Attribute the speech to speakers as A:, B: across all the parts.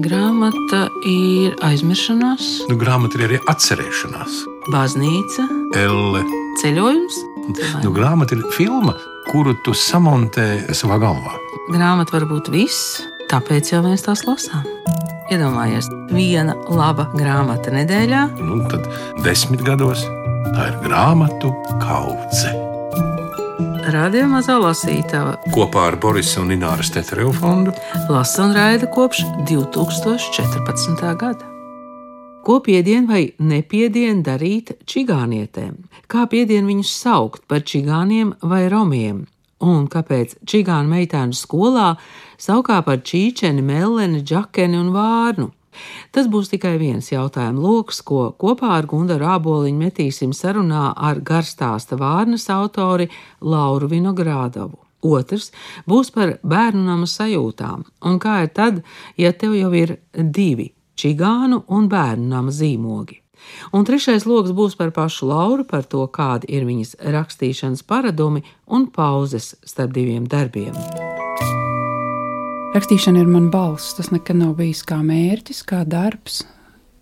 A: Grāmata ir aizmiršanās,
B: Grāmata ir arī atcerēšanās.
A: baznīca,
B: Elle.
A: ceļojums.
B: Grāmata ir filma, kuru tu samontē savā galvā.
A: Grāmata var būt viss, tāpēc jau mēs tās lasām. Iedomājies, viena laba grāmata nedēļā.
B: Tad 10 gados tā ir grāmatu kaudze.
A: Radio Mazā lasītava
B: Kopā ar Borisa un Ināras Tetereva fondu
A: lasa un raida kopš 2014. gada. Ko piedien vai nepiedien darīt čigānietēm? Kā piedien viņus saukt par čigāniem vai romiem? Un kāpēc čigānu meitēnu skolā saukā par čīčeni, melleni, džakeni un vārnu? Tas būs tikai viens jautājumu loks, ko kopā ar Gundaru Āboliņu metīsim sarunā ar garstāsta Vārnas autori Lauru Vinogrādovu. Otrs būs par bērnu nama sajūtām. Un kā ir tad, ja tev jau ir 2 čigānu un bērnu nama zīmogi? Un trešais loks būs par pašu Lauru, par to, kādi ir viņas rakstīšanas paradumi un pauzes starp 2 darbiem.
C: Rakstīšana ir mana balss. Tas nekad nav bijis kā mērķis, kā darbs.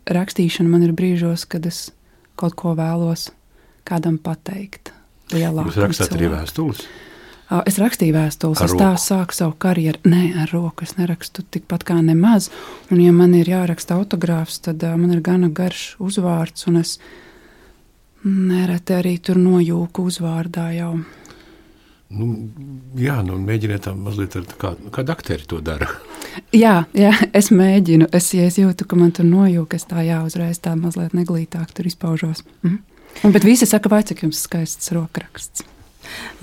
C: Rakstīšana man ir brīžos, kad es kaut ko vēlos kādam pateikt.
B: Jūs rakstāt arī vēstules?
C: Es rakstīju vēstules,
B: Ar
C: es tā sāku savu karjeru. Nē, ar roku es nerakstu tikpat kā nemaz. Un ja man ir jāraksta autogrāfs, tad man ir gana garš uzvārds, un es nereti arī tur nojūku uzvārdā jau.
B: Mēģiniet tā mazliet kāda aktieri to dara.
C: Jā, es mēģinu. Ja es jūtu, ka man tur nojūka, es tā uzreiz tā mazliet neglītāk tur izpaužos. Bet visi saka, vai cik jums skaists rokraksts.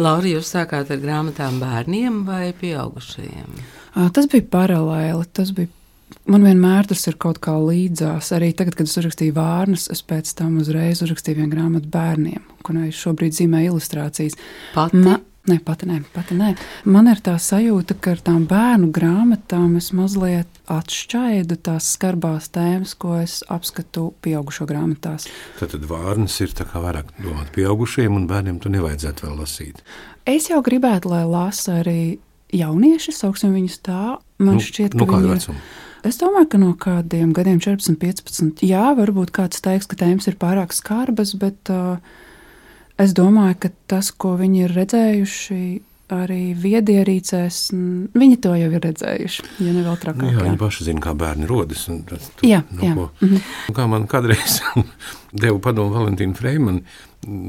A: Laura, jūs sākāt ar grāmatām bērniem vai pieaugušajiem?
C: Tas bija paralēli. Man vienmēr tas ir kaut kā līdzās. Arī tagad, kad es uzrakstīju Vārnas, es pēc tam uzreiz uzrakstīju vienu grāmatu bērniem, kurai šobrīd zīmē ilustrācijas. Pati nē. Man ir tā sajūta, ka ar tām bērnu grāmatām es mazliet atšķaidu tās skarbās tēmas, ko es apskatu pieaugušo grāmatās.
B: Tad Vārnas ir tā kā vairāk domāt pieaugušiem, un bērniem tu nevajadzētu vēl lasīt.
C: Es jau gribētu, lai lasa arī jaunieši, sauksim viņus tā. Man šķiet, ka
B: kādu vecumu?
C: Es domāju, ka no kādiem gadiem 14, 15. Jā, varbūt kāds teiks, ka tēmas ir pārāk skarbas, bet es domāju, ka tas, ko viņi ir redzējuši arī viedierīcēs, viņi to jau ir redzējuši, ja ne vēl trakāk.
B: Jā, viņi paši zina, kā bērni rodas.
C: Jā.
B: Kā man kādreiz deva padomu Valentīna Freimana,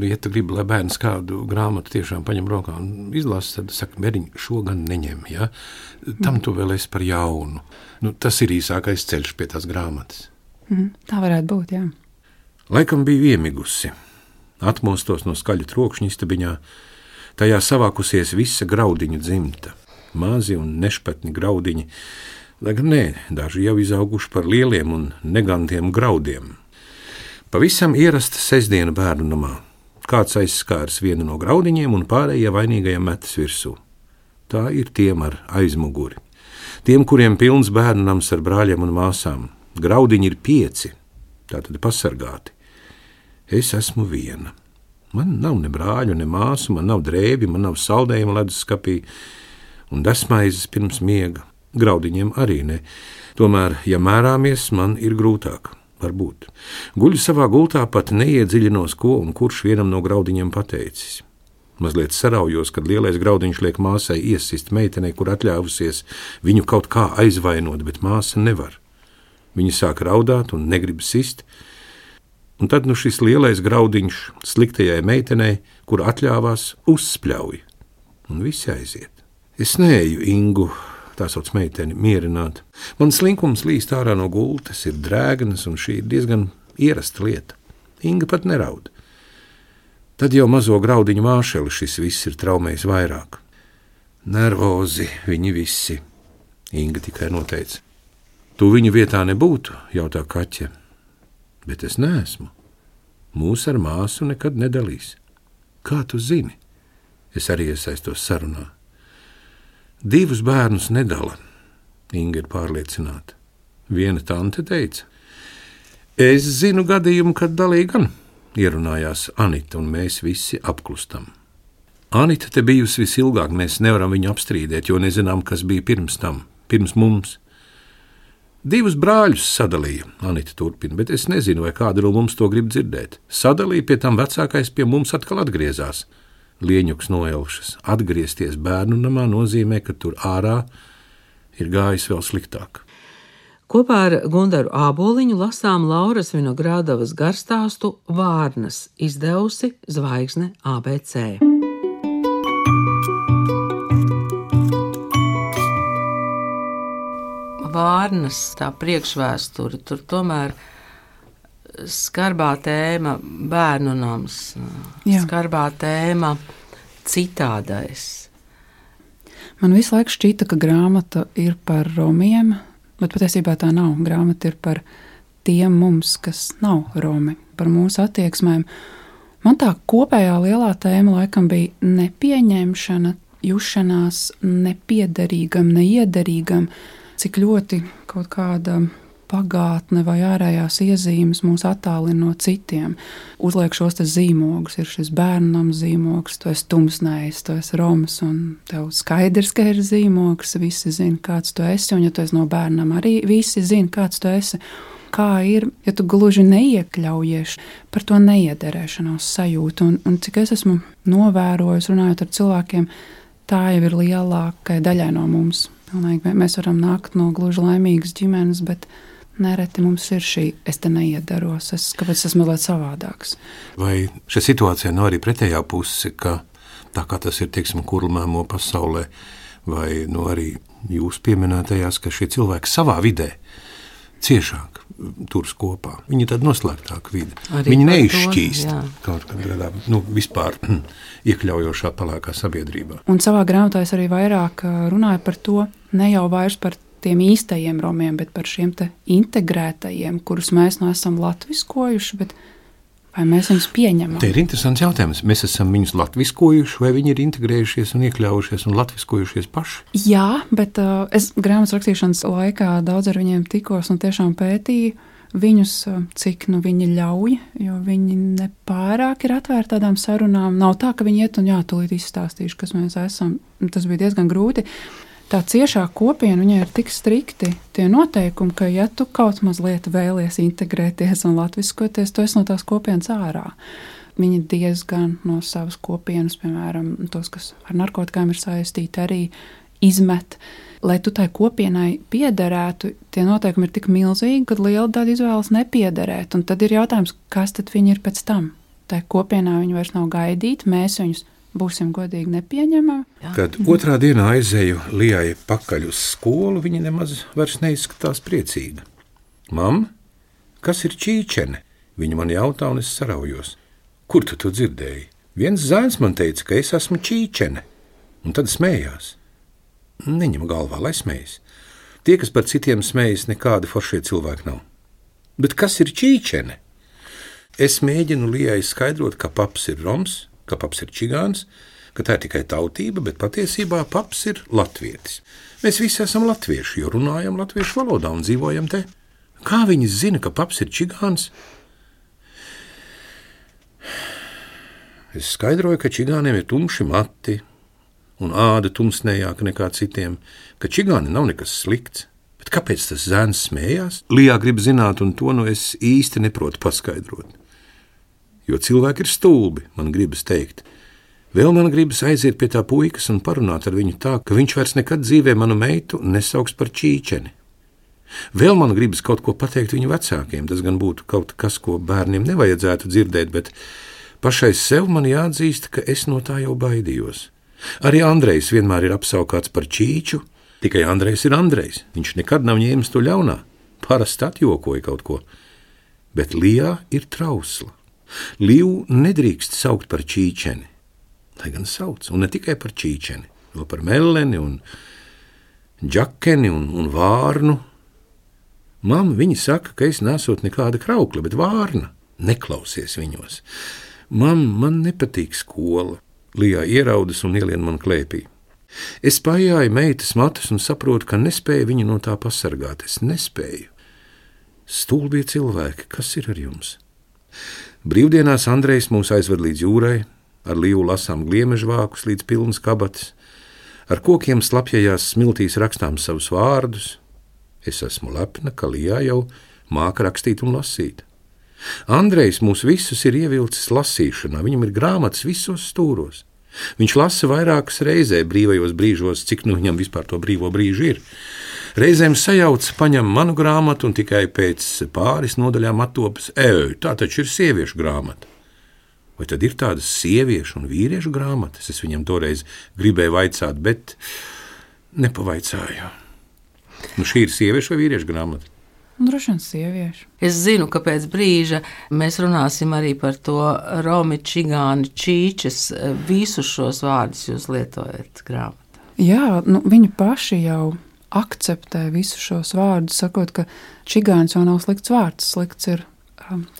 B: ja tu gribi, lai bērns kādu grāmatu tiešām paņem rokā un izlasa, tad saka, bērniņ, šo gan neņem, ja? Tam tu vēl esi par jaunu. Tas ir īsākais ceļš pie tās grāmatas.
C: Tā varētu būt, jā.
B: Laikam bija iemigusi. Atmostos no skaļu trokšņa istabiņā, tajā savākusies visa graudiņu dzimta, mazi un nešpatni graudiņi, lai gan daži jau izauguši par lieliem un negantiem graudiem. Pavisam ierasta sestdiena bērnu namā. Kāds aizskārs vienu no graudiņiem un pārējie vainīgajiem metas virsū. Tā ir tiem ar aizmuguri. Tiem, kuriem pilns bērnu nams ar brāļiem un māsām. Graudiņi ir 5, tātad pasargāti. Es esmu viena. Man nav ne brāļu, ne māsu, man nav drēbi, man nav saldējuma leduskapī un desmaizes pirms miega. Graudiņiem arī ne. Tomēr, ja mērāmies, man ir grūtāk. Varbūt. Guļu savā gultā, pat neiedziļinos, ko un kurš vienam no graudiņiem pateicis. Mazliet saraujos, kad lielais graudiņš liek māsai iesist meitenei, kur atļāvusies viņu kaut kā aizvainot, bet māsa nevar. Viņa sāk raudāt un negrib sist. Un tad šis lielais graudiņš sliktajai meitenei, kur atļāvās, uzspļauj. Un visi aiziet. Es neeju Ingu, tā sauc meiteni, mierināt. Man slinkums līst ārā no gultas, ir drēgnas, un šī ir diezgan ierasta lieta. Inga pat neraud. Tad jau mazo graudiņu māšeli šis viss ir traumējis vairāk. Nervozi viņi visi, Inga tikai noteica. Tu viņu vietā nebūtu, jautā Kaķe. Bet es neesmu. Mūs ar māsu nekad nedalīs. Kā tu zini? Es arī iesaistos sarunā. 2 bērnus nedala, Inga ir pārliecināta. Viena tante teica. Es zinu gadījumu, kad dalīja gan, ierunājās Anita, un mēs visi apklustam. Anita te bijusi visilgāk, mēs nevaram viņu apstrīdēt, jo nezinām, kas bija pirms tam, pirms mums. 2 brāļus sadalīja, Anita turpina, bet es nezinu, vai kāda no mums to grib dzirdēt. Sadalīja, pie tam vecākais pie mums atkal atgriezās. Lieņuks noelšas. Atgriezties bērnu namā nozīmē, ka tur ārā ir gājis vēl sliktāk.
A: Kopā ar Gundaru Āboliņu lasām Lauras Vinogrādavas garstāstu Vārnas, izdevusi Zvaigzne ABC. Vārnas, tā priekšvēsture, tur tomēr skarbā tēma bērnu nams, skarbā tēma citādais.
C: Man visu laiku šķita, ka grāmata ir par romiem, bet patiesībā tā nav. Grāmata ir par tiem mums, kas nav romi, par mūsu attieksmēm. Man tā kopējā lielā tēma laikam bija nepieņemšana, jušanās nepiederīgam, neiederīgam, cik ļoti kaut kāda pagātne vai ārējās iezīmes mūs attālina no citiem. Uzliek šos te zīmogus, ir šis bērnam zīmogs, tu esi tumsnējs, tu esi roms, un tev skaidrs, ka ir zīmogs, visi zina, kāds tu esi, un ja tu esi no bērnam, arī visi zina, kāds tu esi. Kā ir, ja tu gluži neiekļaujies par to neiederēšanos sajūtu, un cik es esmu novērojis, runājot ar cilvēkiem, tā jau ir lielākai daļai no mums. Mēs varam nākt no gluži laimīgas ģimenes, bet nereti mums ir šī, es te neiedaros, kāpēc es esmu mazliet savādāks.
B: Vai šī situācija nav arī pretējā puse, ka tā kā tas ir, teiksim, kurlmēmo pasaulē, vai arī jūs pieminētajās, ka šie cilvēki savā vidē ciešāk turas kopā. Viņi ir tāda noslēgtāka vide. Viņi neizšķīst kaut kādā, vispār iekļaujošā palākā sabiedrībā.
C: Un savā grāmatā es arī vairāk runāju par to, ne jau vairs par tiem īstajiem romiem, bet par šiem te integrētajiem, kurus mēs esam latviskojuši, bet vai mēs viņus pieņemam?
B: Te ir interesants jautājums. Mēs esam viņus latviskojuši, vai viņi ir integrējušies un iekļaujušies un latviskojušies paši?
C: Jā, bet es grāmatas rakstīšanas laikā daudz ar viņiem tikos un tiešām pētīju viņus, cik viņi ļauj, jo viņi nepārāk ir atvērti tādām sarunām. Nav tā, ka viņi iet un tūlīt izstāstīšu, kas mēs esam. Tas bija diezgan grūti. Tā ciešā kopiena, viņai ir tik strikti tie noteikumi, ka ja tu kaut mazliet vēlies integrēties un latviskoties, tu esi no tās kopienas ārā. Viņi diezgan no savas kopienas, piemēram, tos, kas ar narkotikām ir saistīti, arī izmet. Lai tu tai kopienai piederētu, tie noteikumi ir tik milzīgi, ka liela daļa izvēlas nepiederēt. Un tad ir jautājums, kas tad viņi ir pēc tam? Tai kopienā viņi vairs nav gaidīti, mēs viņus būsim godīgi nepieņemami.
B: Kad otrā dienā aizēju Lijai pakaļ uz skolu, viņa nemaz vairs neizskatās priecīga. Mam, kas ir čīčene? Viņa man jautā, un es saraujos. Kur tu to dzirdēji? Viens zēns man teica, ka es esmu čīčene, un tad smējās. Neņem galvā, lai smējas. Tie, kas par citiem smējas, nekādi foršie cilvēki nav. Bet kas ir čīčene? Es mēģinu Lijai skaidrot, ka paps ir roms, ka paps ir čigāns, ka tā ir tikai tautība, bet patiesībā paps ir latvietis. Mēs visi esam latvieši, jo runājam latviešu valodā un dzīvojam te. Kā viņi zina, ka paps ir čigāns? Es skaidroju, ka čigāniem ir tumši mati un āda tumsnējāka nekā citiem, ka čigāni nav nekas slikts. Bet kāpēc tas zēns smējās? Lijā grib zināt, un to es īsti neprotu paskaidrot. Jo cilvēki ir stulbi, man gribas teikt. Vēl man gribas aiziet pie tā puikas un parunāt ar viņu tā, ka viņš vairs nekad dzīvē manu meitu nesauks par čīčeni. Vēl man gribas kaut ko pateikt viņu vecākiem, tas gan būtu kaut kas, ko bērniem nevajadzētu dzirdēt, bet pašai sev man jāatzīst, ka es no tā jau baidījos. Arī Andrejs vienmēr ir apsaukāts par čīču, tikai Andrejs ir Andrejs, viņš nekad nav ņēmis to ļaunā, parasti atjokoja kaut ko, bet Lijā ir trausla. Līvu nedrīkst saukt par čīčeni, lai gan sauc, un ne tikai par čīčeni, vēl par melleni un džakeni un vārnu. Mamma, viņi saka, ka es nesot nekāda kraukla, bet vārna, neklausies viņos. Mamma, man nepatīk skola, Lijā ieraudas un ielien man klēpī. Es pajāju meitas matus un saprotu, ka nespēju viņu no tā pasargāt, es nespēju. Stulbie cilvēki, kas ir ar jums? Brīvdienās Andrejs mūs aizved līdz jūrai, ar Līvu lasām gliemežvākus līdz pilnas kabatas, ar kokiem slapjajās smiltīs rakstām savus vārdus, Es esmu lepna, ka Lijā jau māka rakstīt un lasīt. Andrejs mūs visus ir ievilcis lasīšanā, viņam ir grāmatas visos stūros. Viņš lasa vairākas reizē brīvajos brīžos, cik nu viņam vispār to brīvo brīžu ir. Reizēm sajauc, paņem manu grāmatu un tikai pēc pāris nodaļām attopas, tā taču ir sieviešu grāmata. Vai tad ir tādas sieviešu un vīriešu grāmatas? Es viņam toreiz gribēju vaicāt, bet nepavaicāju. Nu, šī ir sieviešu vai vīriešu grāmata?
C: Droši vien sieviešu.
A: Es zinu, ka pēc brīža mēs runāsim arī par to romi, čigāni, čīčes. Visus šos vārdus jūs lietojat grāmatā.
C: Jā, viņi paši jau akceptē visus šos vārdus, sakot, ka čigāns jau nav slikts vārds, slikts ir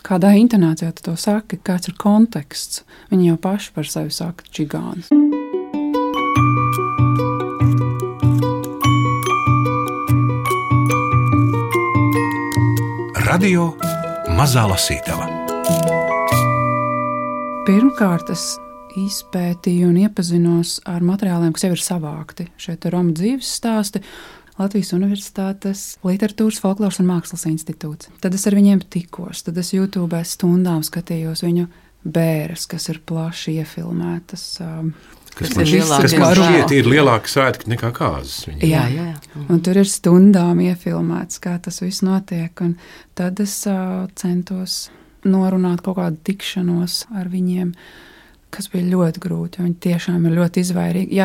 C: kādā intonācijā tu to saki, kāds ir konteksts. Viņi jau paši par sevi saka čigāns.
B: Radio Mazā Lasītava.
C: Pirmkārt, es izpētīju un iepazinos ar materiāliem, kas jau ir savākti. Šeit ir Romu dzīves stāsti, Latvijas Universitātes Literatūras, Folkloras un Mākslas institūts. Tad es ar viņiem tikos, tad es YouTube stundām skatījos viņu bēres, kas ir plaši iefilmētas.
B: Kas man šķiet ir lielāka svētki nekā kāzas.
C: Jā. Un tur ir stundām iefilmēts, kā tas viss notiek. Un tad es centos norunāt kaut kādu tikšanos ar viņiem, kas bija ļoti grūti, jo viņi tiešām ir ļoti izvairīgi.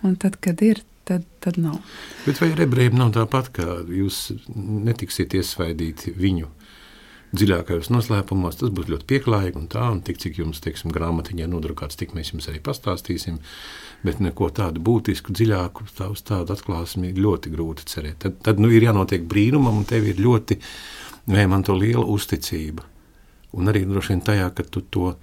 C: Un tad, kad ir, tad nav.
B: Bet vai ar ebrejiem nav tāpat, ka jūs netiksiet iesvaidīti viņu dziļākajos noslēpumos? Tas būs ļoti pieklājīgi un tik, cik jums, teiksim, grāmatiņā nodrukāts, tik mēs jums arī pastāstīsim, bet neko tādu būtisku, dziļāku uz tādu atklāsmi ļoti grūti cerēt. Tad ir jānotiek brīnumam, un tev ir ļoti, man to liela uzticība. Un arī droši vien tajā, ka tu to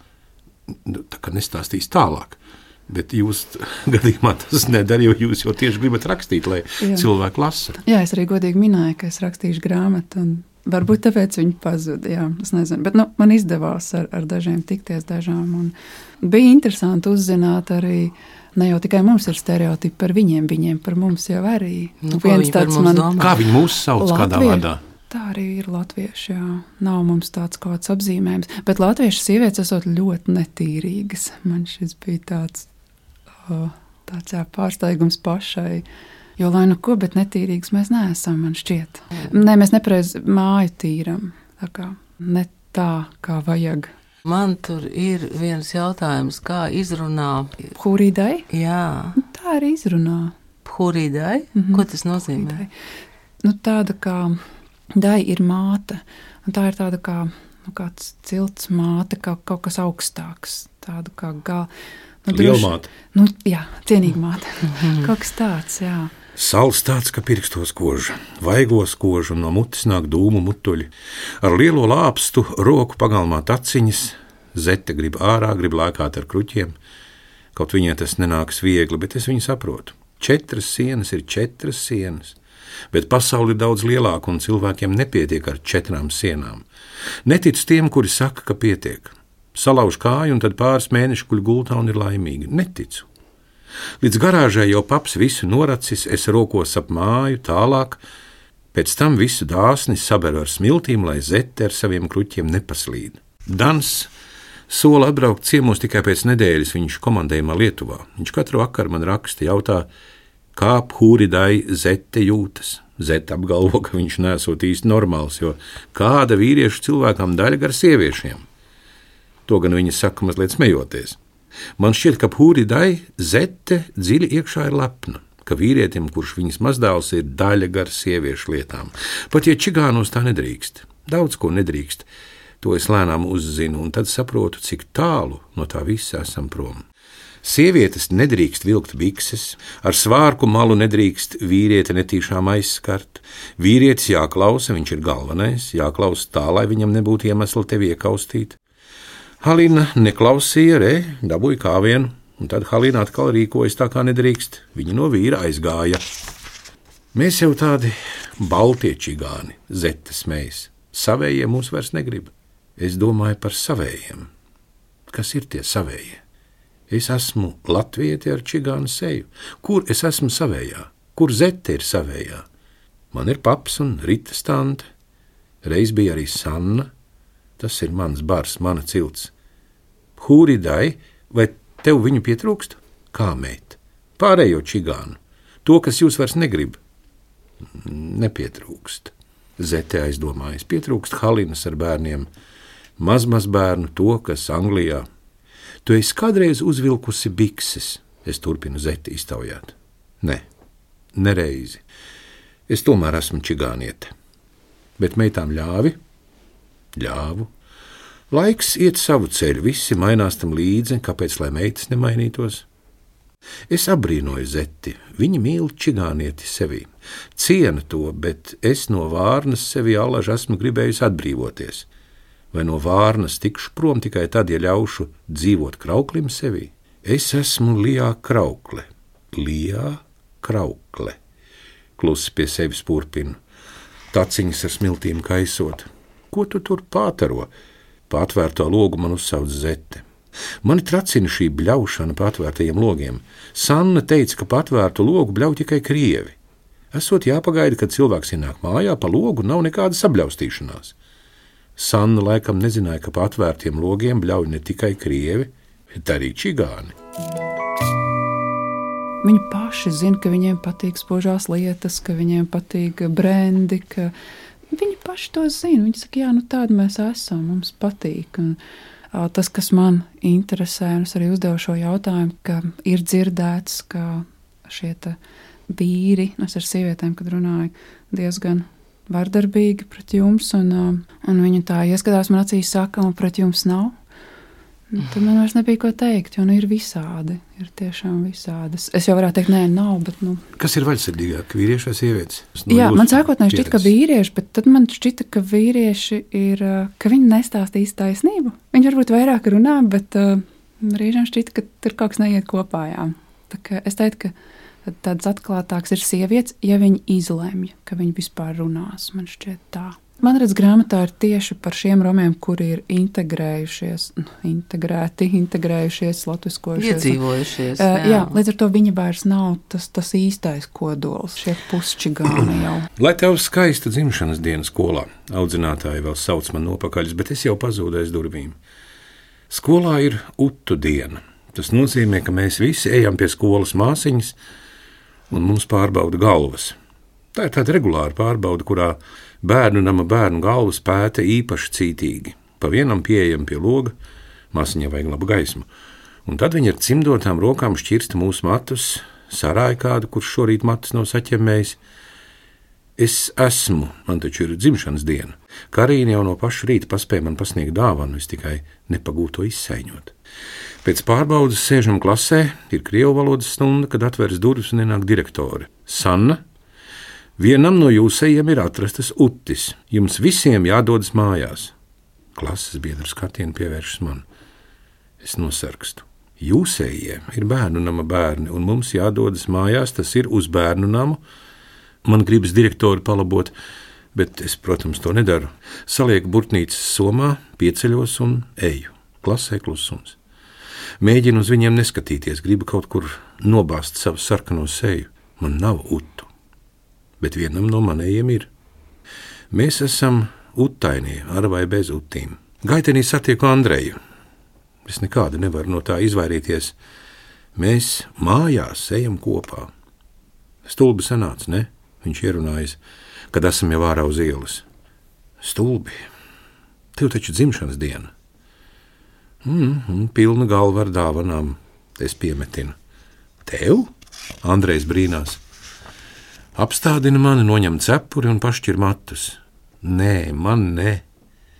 B: tā kā nestāstīsi tālāk. Bet jūs gadījumā tas nedara, jo jūs jau tieši gribat rakstīt, lai cilvēki lasa. Jā,
C: es arī godīgi minēju, ka es rakstīšu grāmatu, un varbūt tāpēc viņi pazuda, es nezinu. Bet man izdevās ar dažiem tikties dažām, un bija interesanti uzzināt arī, ne jau tikai mums ir stereotipi par viņiem par mums jau arī.
A: Viens tāds man...
B: Kā viņi mūs sauc kādā vārdā?
C: Tā arī ir latvieši, Nav mums tāds kāds apzīmējums. Bet latviešu sievietes esot ļoti netīrīgas. Man šis bija tāds pārsteigums pašai. Jo, lai nu ko, bet netīrīgs mēs neesam, man šķiet. Nē, mēs nepareizi māju tīram. Tā kā ne tā, kā vajag.
A: Man tur ir viens jautājums, kā izrunā...
C: Phuridai?
A: Jā.
C: Tā arī izrunā.
A: Phuridai? Ko tas nozīmē?
C: Tāda kā dai ir māte. Un tā ir tāda kā kāds cilts māte, kā kaut kas augstāks. Tāda kā
B: lielmāte.
C: Jā, cienīga māte. Kaut kas tāds, jā.
B: Sals tāds, ka pirkstos koža, vaigos kožu, un no mutes nāk dūmu mutuļi. Ar lielo lāpstu roku pagalmā taciņas, zete grib ārā, grib lēkāt ar kruķiem. Kaut viņai tas nenāks viegli, bet es viņu saprotu. 4 sienas ir 4 sienas, bet pasauli ir daudz lielāka, un cilvēkiem nepietiek ar 4 sienām. Neticu tiem, kuri saka, ka pietiek. Salauž kāju, un tad pāris mēnešu guļ gultā un ir laimīgi. Neticu. Līdz garāžai jau paps visu noracis, es rokos ap māju, tālāk, pēc tam visu dāsni saberu ar smiltīm, lai zete ar saviem kruķiem nepaslīd. Dans sola atbraukt ciemos tikai pēc nedēļas viņš komandējumā Lietuvā. Viņš katru vakaru man raksta, jautā, kā Phuridai zete jūtas. Zete apgalvo, ka viņš nesot īsti normāls, jo kāda vīriešu cilvēkam daļa gar sieviešiem. To gan viņa saka mazliet smejoties. Man šķiet, ka Phuridai zete dziļi iekšā ir lepna, ka vīrietim, kurš viņas mazdēls, ir daļa gar sieviešu lietām. Pat ja čigānos tā nedrīkst, daudz ko nedrīkst, to es lēnām uzzinu, un tad saprotu, cik tālu no tā visa esam prom. Sievietes nedrīkst vilkt bikses, ar svārku malu nedrīkst vīrieti netīšām aizskart. Vīrietis jāklausa, viņš ir galvenais, jāklausa tā, lai viņam nebūtu iemesli tevi iekaustīt. Halina neklausīja, dabūja kāvienu, un tad Halina atkal rīkojas tā, kā nedrīkst. Viņa no vīra aizgāja. Mēs jau tādi baltie čigāni, zete smējas. Savējie mūs vairs negrib. Es domāju par savējiem. Kas ir tie savējie? Es esmu latvieti ar čigānu seju. Kur es esmu savējā? Kur zete ir savējā? Man ir paps un Ritas tante, reiz bija arī Sanna, tas ir mans bars, mana cilts. Hūridai, vai tev viņu pietrūkst? Kā meit? Pārējo čigānu, to, kas jūs vairs negrib. Nepietrūkst. Zete aizdomājas, pietrūkst Halinas ar bērniem, maz bērnu, to, kas Anglijā. Tu esi kādreiz uzvilkusi bikses, es turpinu Zeti iztaujāt. Nē, nereizi. Es tomēr esmu čigāniete. Bet meitām ļāvi? Ļāvu. Laiks iet savu ceļu, visi mainās tam līdzi, kāpēc lai meitas nemainītos? Es apbrīnoju Zeti, viņa mīl čigānieti sevī, ciena to, bet es no Vārnas sevi allaž esmu gribējusi atbrīvoties. Vai no Vārnas tikšu prom tikai tad, ja ļaušu dzīvot krauklim sevī? Es esmu Lijā Kraukle. Lijā Kraukle. Klusi pie sevis purpinu. Taciņas ar smiltīm kaisot. Ko tu tur pātaro? Pātvērto logu man uzsauc Zete. Mani tracina šī bļaušana pa atvērtajiem logiem. Sanna teica, ka patvērtu logu bļauj tikai krievi. Esot jāpagaida, kad cilvēks ienāk mājā, pa logu nav nekāda sabļaustīšanās. Sanna laikam nezināja, ka pa atvērtiem logiem bļauj ne tikai krievi, bet arī čigāni.
C: Viņi paši zina, ka viņiem patīk spožās lietas, ka viņiem patīk brendi, ka viņi paši to zina. Viņi saka, jā, tādi mēs esam, mums patīk. Un tas, kas man interesē, un es arī uzdevu šo jautājumu, ka ir dzirdēts, ka šie vīri, es ar sievietēm, kad runāju, diezgan vardarbīgi pret jums, un viņi tā ieskatās man acīs saka, un pret jums nav. Tad man vairs nebija ko teikt, jo ir visādi, ir tiešām visādas. Es jau varētu teikt, nē, nav, bet
B: Kas ir vaļsirdīgāk, vīrieši vai sievietes?
C: Jā, man sākotnēji šķita, ka vīrieši, bet tad man šķita, ka vīrieši ir, ka viņi nestāstīs taisnību. Viņi varbūt vairāk runā, bet brīžiem šķita, ka tur kaut kas neiet kopā, jā. Tā kā es teiktu, ka tāds atklātāks ir sievietes, ja viņi izlemj, ka viņi vispār runās, man šķiet tā. Man redz, grāmatā ir tieši par šiem romiem, kuri ir integrējušies, latviskojušies.
A: Iedzīvojušies.
C: Jā, līdz ar to viņi vairs nav tas īstais kodols, šie pusčigāni jau.
B: Lai tev skaista dzimšanas diena skolā, audzinātāji vēl sauc man nopakaļus, bet es jau pazūdu aiz durvīm. Skolā ir utu diena. Tas nozīmē, ka mēs visi ejam pie skolas māsiņas un mums pārbauda galvas. Tā ir tāda regulāra pārbauda, kurā bērnu nama bērnu galvas pēta īpaši cītīgi. Pa vienam pieejam pie loga, māsiņai vajag labu gaismu. Un tad viņi ar cimdotām rokām šķirsta mūsu matus, sarāja kādu, kurš šorīt matus nav saķemmējis. Es esmu, man taču ir dzimšanas diena. Karīna jau no paša rīta paspēja man pasniegt dāvanu, es tikai nepagūtu to izsaiņot. Pēc pārbaudas sēžam klasē, ir krievu valodas stunda, kad atveras durvis un ienāk direktore. Sanna, vienam no jūsējiem ir atrastas utis. Jums visiem jādodas mājās. Klases biedru skatienu pievēršas man. Es nosarkstu. Jūsējiem ir bērnu nama bērni, un mums jādodas mājās, tas ir uz bērnu namu. Man gribas direktori palabot, bet es, protams, to nedaru. Salieku burtnīcas somā, pieceļos un eju. Klasē klusums. Mēģinu uz viņiem neskatīties, gribu kaut kur nobāzt savu sarkano seju. Man nav utu. Bet vienam no manējiem ir. Mēs esam utainie, ar vai bez utīm. Gaitenī satieku Andreju. Es nekādu nevaru no tā izvairīties. Mēs mājās ejam kopā. Stulbi sanāca, ne? Viņš ierunājas, kad esam jau ārā uz ielas. Stulbi. Tev taču dzimšanas diena. Pilna galva ar dāvanām. Es piemetinu. Tev? Andrejs brīnās. Apstādina mani, noņem cepuri un pašķir matus. Nē, man ne.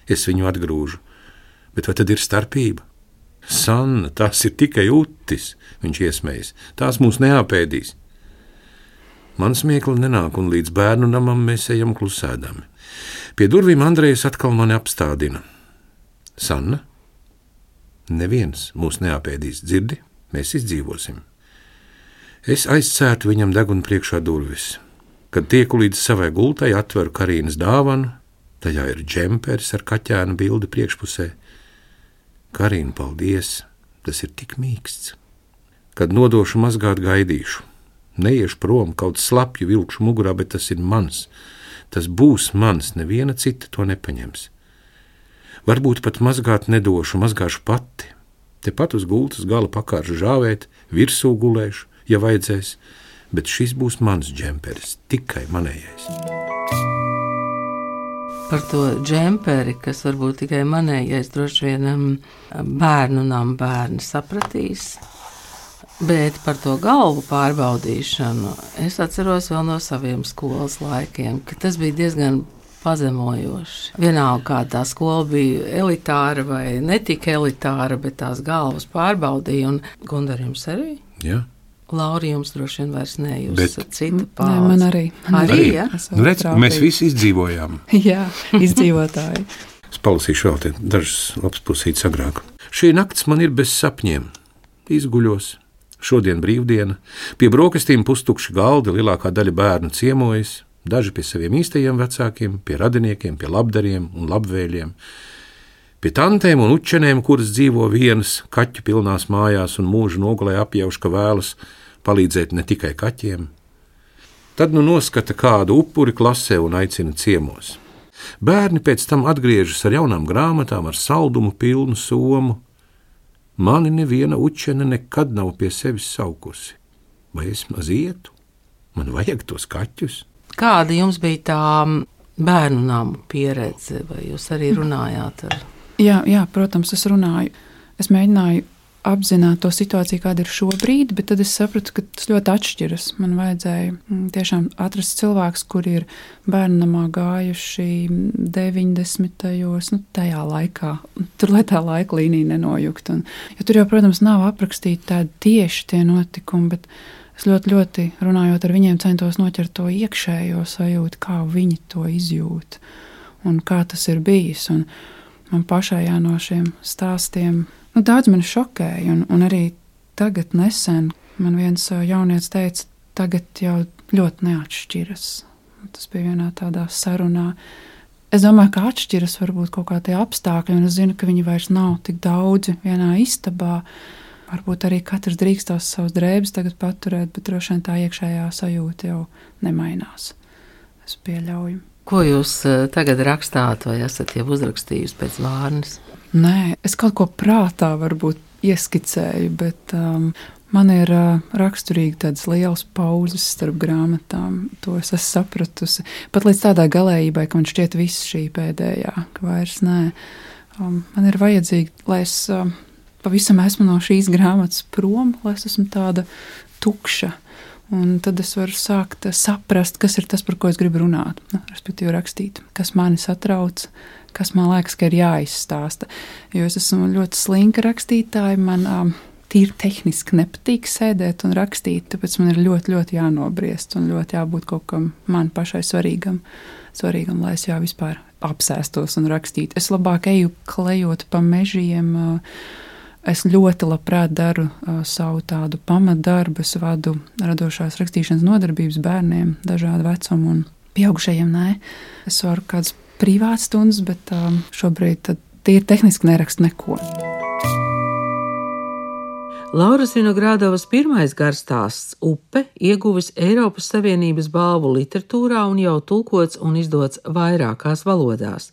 B: Es viņu atgrūžu. Bet vai tad ir starpība? Sanna, tās ir tikai utis, viņš iesmējas. Tās mūs neapēdīs. Man smiekli nenāk, un līdz bērnu namam mēs ejam klusēdami. Pie durvīm Andrejs atkal mani apstādina. Sanna, neviens mūs neapēdīs, dzirdi? Mēs izdzīvosim. Es aizcērtu viņam degunu priekšā durvis. Kad tieku līdz savai gultai, atveru Karīnas dāvanu, tajā ir džemperis ar kaķēna bildi priekšpusē. Karīna, paldies, tas ir tik mīksts. Kad nodošu mazgāt, gaidīšu. Neiešu prom, kaut slapju vilkšu mugurā, bet tas ir mans. Tas būs mans, neviena cita to nepaņems. Varbūt pat mazgāt nedošu, mazgāšu pati. Tepat uz gultas gala pakāršu žāvēt, virsū gulēšu, ja vajadzēs, bet šis būs mans džemperis, tikai manējais.
A: Par to džemperi, kas varbūt tikai manējais, droši vien bērnu nam bērni sapratīs, bet par to galvu pārbaudīšanu es atceros vēl no saviem skolas laikiem, ka tas bija diezgan pazemojoši. Vienalga, kā tā skola bija elitāra vai netika elitāra, bet tās galvas pārbaudīja, un Gundar jums arī?
B: Jā.
A: Lauri, jums droši vien vairs ne, jūs esat cita
C: Nē,
A: paudze.
C: man arī.
A: Arī, ja?
B: Redz, mēs visi izdzīvojām.
C: Jā, izdzīvotāji.
B: Es palasīšu vēl te dažas labas pusītes agrāk. Šī nakts man ir bez sapņiem. Izguļos. Šodien brīvdiena. Pie brokastīm pustukši galdi, lielākā daļa bērnu ciemojas. Daži pie saviem īstajiem vecākiem, pie radiniekiem, pie labdariem un labvēļiem, pie tantēm un učenēm, kuras dzīvo vienas kaķu pilnās mājās un mūžu nogulē apjauš, ka vēlas palīdzēt ne tikai kaķiem. Tad nu noskata kādu upuri klasē un aicina ciemos. Bērni pēc tam atgriežas ar jaunām grāmatām, ar saldumu pilnu somu. Mani neviena učene nekad nav pie sevis saukusi. Vai es maz ietu? Man vajag tos kaķus.
A: Kāda jums bija tā bērnu namu pieredze, vai jūs arī runājāt ar?
C: Jā, protams, es runāju. Es mēģināju apzināt to situāciju, kāda ir šobrīd, bet tad es sapratu, ka tas ļoti atšķiras. Man vajadzēja tiešām atrast cilvēkus, kuri ir bērnamā gājuši 90. Tajā laikā. Tur, lai tā laika līnija nenojuktu. Jo tur jau, protams, nav aprakstīti tādi tieši tie notikumi, bet es ļoti runājot ar viņiem centos noķert to iekšējo sajūtu, kā viņi to izjūt un kā tas ir bijis. Un man pašai no šiem stāstiem daudz mani šokēja, un arī tagad nesen man viens jaunietis teica, tagad jau ļoti neatšķiras. Tas bija vienā tādā sarunā. Es domāju, ka atšķiras varbūt kaut kā tie apstākļi, un es zinu, ka viņi vairs nav tik daudzi vienā istabā. Varbūt arī katrs drīkstās savus drēbes tagad paturēt, bet droši vien tā iekšējā sajūta jau nemainās. Es pieļauju.
A: Ko jūs tagad rakstāt, vai esat jau uzrakstījusi pēc Vārnas?
C: Nē, es kaut ko prātā varbūt ieskicēju, bet man ir raksturīgi tādas lielas pauzes starp grāmatām. To es esmu sapratusi. Pat līdz tādai galējībai, ka man šķiet viss šī pēdējā, ka vairs nē. Man ir vajadzīgi, lai es pavisam esmu no šīs grāmatas prom, lai es esmu tāda tukša. Un tad es varu sākt saprast, kas ir tas, par ko es gribu runāt. Respektīvi rakstīt, kas mani satrauc, kas man liekas, ka ir jāizstāsta. Jo es esmu ļoti slinka rakstītāja, man tīri tehniski nepatīk sēdēt un rakstīt, tāpēc man ir ļoti, ļoti jānobriest un ļoti jābūt kaut kam man pašai svarīgam, lai es jau vispār apsēstos un rakstītu. Es labāk eju klejot pa mežiem. Es ļoti labprāt daru savu tādu pamatdarbu. Es vadu radošās rakstīšanas nodarbības bērniem, dažādu vecumu un pieaugušajiem nē. Es varu kādas privātas stundas, bet šobrīd tīri tehniski nerakstu neko.
A: Lauras Vinogradovas pirmais garstāsts Upe ieguvis Eiropas Savienības balvu literatūrā un jau tulkots un izdots vairākās valodās.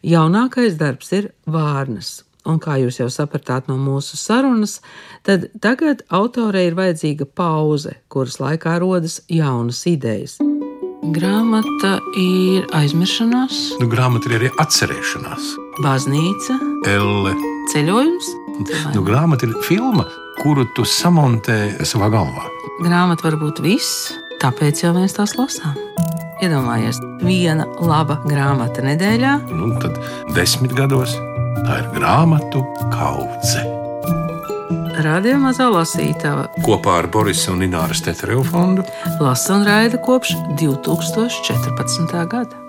A: Jaunākais darbs ir Vārnas. Un kā jūs jau sapratāt no mūsu sarunas, tad tagad autorei ir vajadzīga pauze, kuras laikā rodas jaunas idejas. Grāmata ir aizmiršanās.
B: Grāmata ir arī atcerēšanās.
A: Baznīca.
B: Elle.
A: Ceļojums.
B: Grāmata ir filma, kuru tu samontē savā galvā.
A: Grāmata var būt viss, tāpēc jau mēs tās lasām. Iedomājies, viena laba grāmata nedēļā.
B: Tad 10 gados tā ir grāmatu kaudze.
A: Radio Mazā lasītava
B: Kopā ar Borisa un Ināras Tetereva fondu
A: lasa un raida kopš 2014. gada.